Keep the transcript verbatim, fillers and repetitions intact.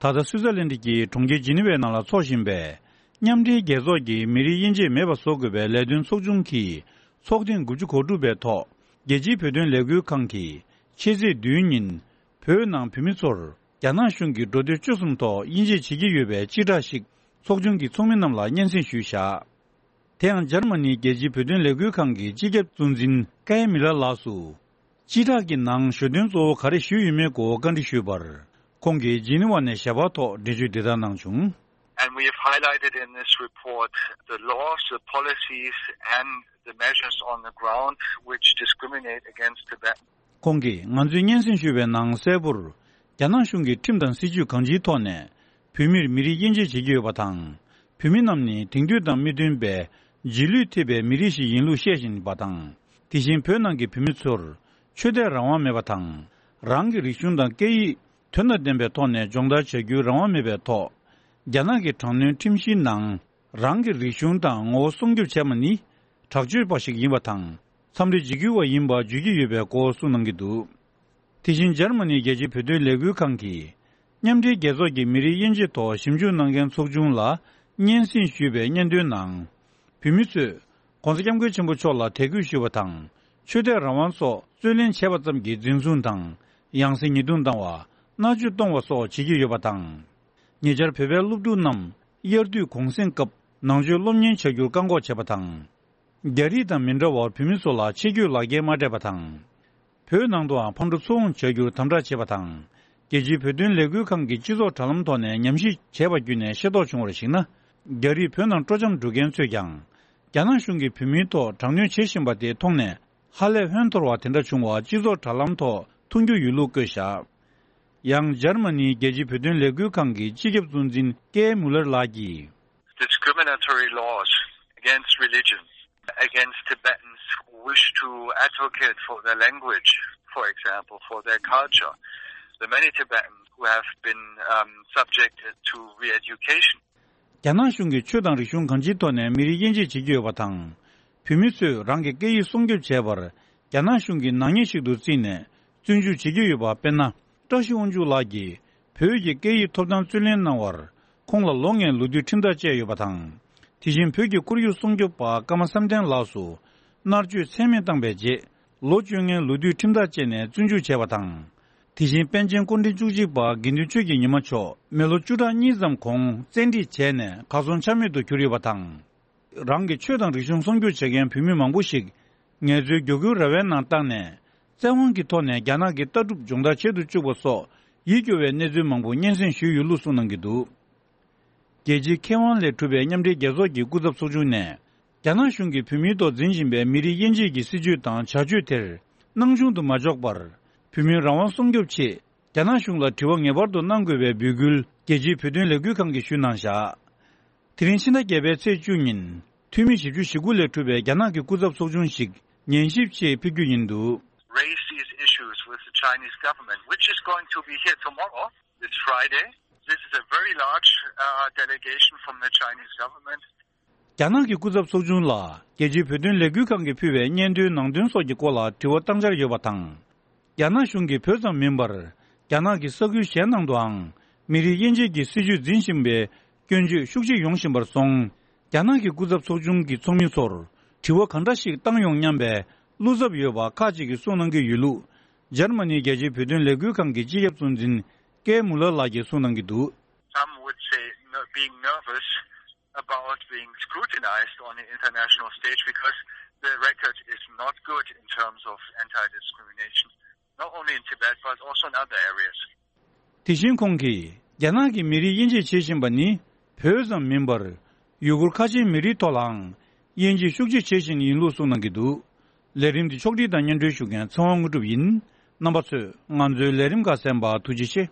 ད་ལྟ་སུའུ་ཙར་ལན་གྱི་གྲོང་ཁྱེར་ཇི་ནི་ཝའི་ནང་ལ་འཚོགས་བཞིན་པའི་མཉམ་འབྲེལ་རྒྱལ་ཚོགས་ཀྱི་མི་རིགས་དབྱེ་འབྱེད་མེད་པ་བཟོ་དགོས་པའི་ལས་དོན་ཚོགས་ཆུང་གི་ཚོགས་ཐེངས་དགུ་བཅུ་གོ་དྲུག་པའི་ཐོག་རྒྱལ་སྤྱིའི་བོད་དོན་ལས་འགུལ་ཁང་གིས་ཕྱི་ཚེས་བདུན་ཉིན་བོད་ནང་བོད་མི་ཚོར་རྒྱ་ནག་གཞུང་གིས་འགྲོ་སྡོད་སྤྱོད་གསུམ་ཐོག་དབྱེ་འབྱེད་བྱེད་ཀྱི་ཡོད་པའི་སྤྱི་བསྒྲགས་ཤིག་ཚོགས་ཆུང་གི་ཚོགས་མི་རྣམས་ལ་སྙན་སེང་ཞུས་བཞག་དེ་ཡང་འཇར་མ་ནིའི་རྒྱལ་སྤྱིའི་བོད་དོན་ལས་འགུལ་ཁང་གི་སྤྱི་ཁྱབ་གཙོ་འཛིན་ཀའེ་མི་ལར་ལགས་སུ། སྤྱི་བསྒྲགས་ཀྱི་ནང་ཞུ་དོན་གཙོ་བོ་ག་རེ་ཞུས་ཡོད་མེད་སྐོར་བཀའ་འདྲི་ཞུས་པར། ཁོང་གིས་ཇི་ནི་ཝ་ནས་ཞལ་པར་ཐོག་འགྲེལ་བརྗོད་འདི་ལྟར་གནང་བྱུང་། And we have highlighted in this report the laws, the policies, and the measures on the ground which discriminate against Tibetans. ཁོང་གིས་ང་ཚོས་སྙན་སེང་ཞུས་པའི་ནང་གསལ་པོར། རྒྱ་ནག་གཞུང་གི་ཁྲིམས་དང་སྲིད་ཇུས་གང་ཅིའི་ཐོག་ནས། བོད་མིར་མི་རིགས་དབྱེ་འབྱེད་བྱེད་ཀྱི་ཡོད་པ་དང་། བོད་མི་རྣམས་ནི་དེང་དུས་དང་མི་མཐུན་པའི་རྗེས་ལུས་ཐེབས་པའི་མི་རིགས་ཤིག་ཡིན་ལུགས་བཤད་བཞིན་པ་དང་། དེ་བཞིན་བོད་ནང་གི་བོད་མི་ཚོར་ཆོས་དད་རང་དབང་མེད་པ་དང་། རང་གི་རིག་གཞུང་དང་སྐད་ཡིག་དོན་དང་ལྡན་པའི་ཐོག་ནས་སྦྱོང་བརྡར་བྱ་རྒྱུའི་རང་དབང་མེད་པའི་ཐོག་རྒྱ་ནག་གི་དྲག་གནོན་ཁྲིམས་གཞིའི་ནང་། རང་གི་རིག་གཞུང་དང་ངོ་བོ་སྲུང་སྐྱོབ་བྱས་པ་ནི་དྲག་སྤྱོད་པ་ཞིག་ཡིན་པ་དང་། འཚམས་འདྲི་བྱེད་དགོས་པ་ཡིན་པ་བརྗོད་ཀྱི་ཡོད་པའི་སྐོར་གསུངས་གནང་གི་འདུག་དེ་བཞིན་འཇར་མ་ནིའི་རྒྱལ་སྤྱིའི་བོད་དོན་ལས་འགུལ་ཁང་གིས། མཉམ་འབྲེལ་རྒྱལ་ཚོགས་ཀྱི་མི་རིགས་དབྱེ་འབྱེད་ཐོག་ཞིབ་འཇུག་གནང་མཁན་ཚོགས་ཆུང་ལ་སྙན་སེང་ཞུས་པའི་སྙན་ཐོའི་ནང་། བོད་མི་ཚོས་༸གོང་ས་༸སྐྱབས་མགོན་ཆེན་པོ་མཆོག་ལ་དད་གུས་ཞུ་བ་དང་། ཆོས་དད་རང་དབང་སོགས་རྩོད་ལེན་བྱས་པ་ཙམ་གྱིས་འཛིན་བཟུང་དང་། ཡང་སྲིད་ཉེས་རྡུང་བཏང་བ། མནར་གཅོད་གཏོང་བ་སོགས་བྱེད་ཀྱི་ཡོད་པ་དང་། ཉེ་ཆར་བོད་པའི་སློབ་ཕྲུག་རྣམས་དབྱར་དུས་གུང་གསེང་སྐབས་ནང་ཆོས་སློབ་གཉེར་བྱ་རྒྱུར་བཀག་འགོག་བྱས་པ་དང་། རྒྱ་རིགས་དང་མི་འདྲ་བར་བོད་མི་ཚོ་ལ་ཆེད་བསྐྱོད་ལག་འཁྱེར་མ་སྤྲད་པ་དང་། བོད་ནང་དུའང་ཕར་འགྲོ་ཚུར་འོང་བྱ་རྒྱུར་དམ་དྲག་བྱས་པ་དང་། རྒྱལ་སྤྱིའི་བོད་དོན་ལས་འགུལ་ཁང་གིས་སྤྱི་ཚོགས་དྲ་ལམ་ཐོག་ནས་ཉམས་ཞིབ་བྱས་པ་བརྒྱུད་ནས་ཤེས་རྟོགས་བྱུང་བར་གཞིགས་ན། རྒྱ་རིགས་བོད་ནང་སྤྲོ་འཆམ་འགྲོ་མཁན་ཚོས་ཀྱང་། རྒྱ་ནག་གཞུང་གིས་བོད་མིའི་ཐོག་དྲག་གནོན་བྱེད་བཞིན་པ་དེ་མཐོང་ནས། ཧ་ལས་ཧོན་འཐོར་བ་དེ་འདྲ་བྱུང་བ་སྤྱི་ཚོགས་དྲ་ལམ་ཐོག་མཐོང་རྒྱུ་ཡོད་ལུགས་བཀོད་བཞག་ཡང་འཇར་མ་ནིའི་རྒྱལ་སྤྱིའི་བོད་དོན་ལས་འགུལ་ཁང་གི་སྤྱི་ཁྱབ་གཙོ་འཛིན་ཀེ་མུ་ལར་ལགས་ཀྱིས། Discriminatory laws against religion, against Tibetans who wish to advocate for their language, for example, for their culture. The many Tibetans who have been um, subjected to re-education. རྒྱ་ནག་གཞུང་གིས་ཆོས་དང་རིག་གཞུང་གང་ཅིའི་ཐོག་ནས་མི་རིགས་དབྱེ་འབྱེད་བྱེད་ཀྱི་ཡོད་པ་དང་། བོད་མི་ཚོས་རང་གི་སྐད་ཡིག་སྲུང་སྐྱོབ་བྱས་པར། རྒྱ་ནག་གཞུང་གིས་ནག་ཉེས་ཤིག་ཏུ་བརྩིས་ནས་བཙོན་འཇུག་བྱེད་ཀྱི་ཡོད་པ་དཔེར་ན། བཀྲ་ཤིས་དབང་ཕྱུག་ལགས་ཀྱིས་བོད་ཀྱི་སྐད་ཡིག་ཐོབ་ཐང་རྩོད་ལེན་གནང་བར། ཁོང་ལ་ལོ་ལྔའི་ལོ་དུས་ཁྲིམས་ཐག་བཅད་ཡོད་པ་དང་། དེ་བཞིན་བོད་ཀྱི་ཁོར་ཡུག་སྲུང་སྐྱོབ་པ་ཀརྨ་བསམ་གཏན་ལགས་སུ། མནར་གཅོད་ཚད་མེད་བཏང་པའི་རྗེས། ལོ་བཅོ་ལྔའི་ལོ་དུས་ཁྲིམས་ཐག་བཅད་ནས་བཙོན་འཇུག་བྱས་པ་དང་། དེ་བཞིན་པཎ་ཆེན་སྐུ་ཕྲེང་བཅུ་གཅིག་པ་དགེ་འདུན་ཆོས་ཀྱི་ཉི་མ་མཆོག་མི་ལོ་བཅུ་ཕྲག་གཉིས་ཙམ་གོང་བཙན་ཁྲིད་བྱས་ནས་གར་སོང་ཆ་མེད་དུ་གྱུར་ཡོད་པ་དང་། རང་གི་ཆོས་དང་རིག་གཞུང་སྲུང་སྐྱོབ་བྱེད་མཁན་བོད་མི་མང་པོ་ཞིག་ངལ་རྩོལ་མགྱོགས་ཁུལ་ར་བའི་ནང་བཏང་ནས། བཙན་དབང་གི་ཐོག་ནས་རྒྱ་ནག་གི་ལྟ་གྲུབ་སྦྱོང་བརྡར་བྱེད་དུ་བཅུག་པ་སོགས་ཡིད་སྐྱོ་བའི་གནས་ཚུལ་མང་པོ་སྙན་སེང་ཞུས་ཡོད་ལུགས་གསུངས་གནང་གི་འདུག་རྒྱལ་སྤྱིའི་མཁས་དབང་ལས་གྲུབ་པའི་མཉམ་འབྲེལ་རྒྱལ་ཚོགས་ཀྱི་སྐུ་ཚབ་ཚོགས་ཆུང་ནས། རྒྱ་ནག་གཞུང་གིས་བོད་མིའི་ཐོག་འཛིན་བཞིན་པའི་མི་རིགས་དབྱེ་འབྱེད་ཀྱི་སྲིད་བྱུས་དང་བྱ་སྤྱོད་དེར། སྣང་ཆུང་དུ་མ་འཇོག་པར། བོད་མིའི་རང་དབང་སྲུང་སྐྱོབ་ཆེད། རྒྱ་ནག་གཞུང་ལ་དྲི་བ་ངེས་པར་དུ་གནང་དགོས་པའི་འབོད་སྐུལ། རྒྱལ་སྤྱིའི་བོད་དོན་ལས་འགུལ་ཁང་གིས་ཞུས་གནང་བཞག་དེ་རིང་ཕྱི་ཟླ་བརྒྱད་པའི་ཚེས་བཅུ་ཉིན། འཐུས་མི་བཞི་བཅུ་ཞེ་དགུ་ལས་གྲུབ་པའི་རྒྱ་ནག་གི་སྐུ་ཚབ་ཚོགས་ཆུང་ཞིག་ཉན་ཞིབ་ཆེད་ཕེབས་རྒྱུ་ཡིན་འདུག Raise these issues with the Chinese government, which is going to be here tomorrow, this Friday. This is a very large uh, delegation from the Chinese government. རྒྱ་ནག་གི་སྐུ་ཚབ་ཚོགས་ཆུང་ལ་རྒྱལ་སྤྱིའི་བོད་དོན་ལས་འགུལ་ཁང་གིས་ཕུལ་བའི་སྙན་ཐོའི་ནང་དོན་སོགས་ཀྱི་སྐོར་ལ་དྲི་བ་བཏང་འཆར་ཡོད་པ་དང་། རྒྱ་ནག་གཞུང་གིས་བོད་ཙམ་མིན་པར། རྒྱ་ནག་གི་ས་ཁུལ་གཞན་ནང་དུའང་། མི་རིགས་དབྱེ་འབྱེད་ཀྱི་སྲིད་བྱུས་འཛིན་བཞིན་པའི་སྐྱོན་བརྗོད་ཤུགས་ཆེ་ཡོང་བཞིན་པར་སོང་། རྒྱ་ནག་གི་སྐུ་ཚབ་ཚོགས་ཆུང་གི་ཚོགས་མི་ཚོར། དྲི་བ་ག་འདྲ་ཞིག་བཏང་ཡོང་སྙམ་པའི་བློ་འཚབ་ཡོད་པ་ཁག་ཅིག་གིས་གསུངས་གནང་གི་ཡོད་ལུགས། འཇར་མ་ནིའི་རྒྱལ་སྤྱིའི་བོད་དོན་ལས་འགུལ་ཁང་གི་སྤྱི་ཁྱབ་གཙོ་འཛིན་ཀེ་མུ་ལར་ལགས་ཀྱིས་གསུངས་གནང་གི་འདུག Some would say n- being nervous about being scrutinized on the international stage because the record is not good in terms of anti-discrimination, not only in Tibet but also in other areas. དེ་བཞིན་ཁོང་གིས་རྒྱ་ནག་གིས་མི་རིགས་དབྱེ་འབྱེད་བྱེད་བཞིན་པ་ནི་བོད་ཙམ་མིན་པར། ཡུ་གུར་ཁ་ཆེའི་མི་རིགས་ཐོག་ལའང་དབྱེ་འབྱེད་ཤུགས་ཆེ་བྱེད་བཞིན་ཡིན་ལུགས་གསུངས་གནང་གི་འདུག་ལས་རིམ་འདི་ཕྱོགས་སྒྲིག་དང་སྙན་སྒྲོན་ཞུ་མཁན་ཚེ་དབང་དངོས་གྲུབ་ཡིན། རྣམ་པ་ཚོས་ང་ཚོའི་ལས་རིམ་ཁག་གསན་པར་ཐུགས་རྗེ་ཆེ།